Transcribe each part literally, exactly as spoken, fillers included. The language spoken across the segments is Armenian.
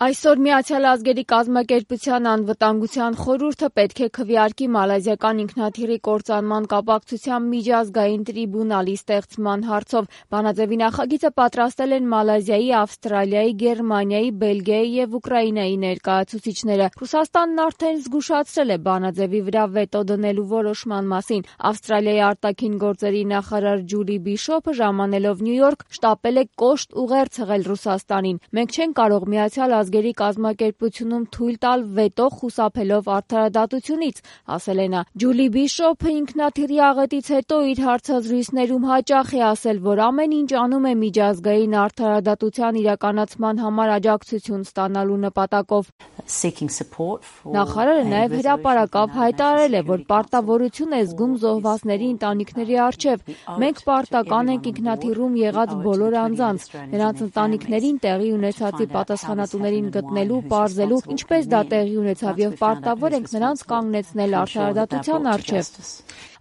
Այսօր Միացյալ Ազգերի կազմակերպության անվտանգության խորհուրդը պետք է քվեարկի մալազիական ինքնաթիռի կործանման կապակցությամբ միջազգային տրիբունալի ստեղծման հարցով։ Բանաձևի նախագիծը պատրաստել են Մալազիայի, Ավստրալիայի, Գերմանիայի, Բելգիայի և Ուկրաինայի ներկայացուցիչները։ Ռուսաստանն արդեն զգուշացրել է բանաձևի վրա վետո դնելու որոշման մասին։ Ավստրալիայի արտաքին գործերի նախարար Ջուլի Բիշոփը ժամանելով Նյու Յորք շտապել է կոշտ ուղերձ հղել Ռուսաստանին։ Մենք չենք կարող Միացյալ Ազգերի կազմակերպությունում թույլ տալ վետո խուսափելով արդարադատությունից, ասել է նա։ Ջուլի Բիշոփը ինքնաթիռի աղետից հետո իր հարցազրույցներում հաճախ է ասել, որ ամեն ինչ անում է միջազգային արդարադատության իրականացման համար աջակցություն ստանալու նպատակով։ Նախարարը նաև հրապարակավ հայտարարել է, որ պարտավորություն է զգում զոհվածների ընտանիքների առջև։ Մենք պարտական ենք ինքնաթիռում եղած բոլոր անձանց, նրանց ընտանիքներին տեղի ունեցածի պատասխանատուներին գտնելու, պարզելու, ինչպես դա տեղի ունեցավ, եւ պարտավոր ենք նրանց կանգնեցնել արդարադատության առջև։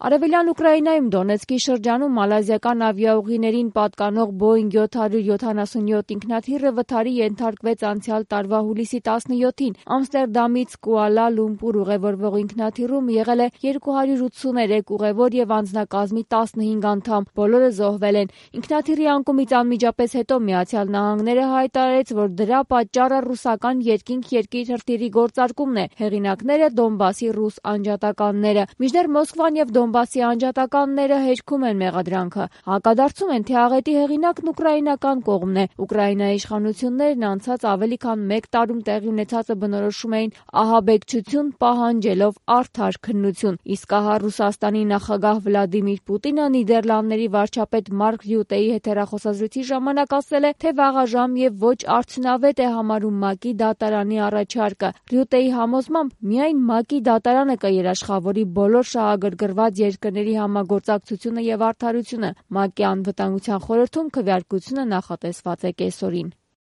Արևելյան Ուկրաինայում Դոնեցկի շրջանում մալազիական ավիաուղիներին պատկանող Boeing seven seventy-seven ինքնաթիռը վթարի ենթարկվեց անցյալ տարվա հուլիսի տասնյոթին։ Ամստերդամից Կուալա Լումպուր ուղևորվող ինքնաթիռում եղել է two hundred eighty-three ուղևոր եւ անձնակազմի fifteen անդամ։ Բոլորը զոհվել են։ Ինքնաթիռի անկումից անմիջապես հետո Միացյալ Նահանգները հայտարարեց, որ դրա պատճառը ռուսական երկինք երկիր հրթիռի գործարկումն է։ Հեղինակները Դոնբասի ռուս անջատականները։ Մինչդեռ Մոսկվան եւ Դոնբասի անջատականները հերքում են մեղադրանքը։ Հակադարձում են, թե աղետի հեղինակն ուկրաինական կողմն է։ Ուկրաինայի իշխանություններն անցած ավելի քան մեկ տարում տեղի ունեցածը բնորոշում էին ահաբեկչություն պահանջելով արդար քննություն։ Իսկ ահա Ռուսաստանի նախագահ Վլադիմիր Պուտինը Նիդերլանդների վարչապետ Մարկ Ռյուտեի հետ հեռախոսազրույցի ժամանակ ասել է, թե վաղաժամ եւ ոչ արդյունավետ է համարում ՄԱԿ-ի դատարանի առաջարկը։ Ռյուտեի համոզմամբ միայն ՄԱԿ-ի դատարանը կերաշխավորի բոլոր շահագրգռված երկրների համագործակցությունը եւ արդարությունը։ ՄԱԿ-ի անվտանգության խորհրդում քվեարկությունը նախատեսված է կեսօրին։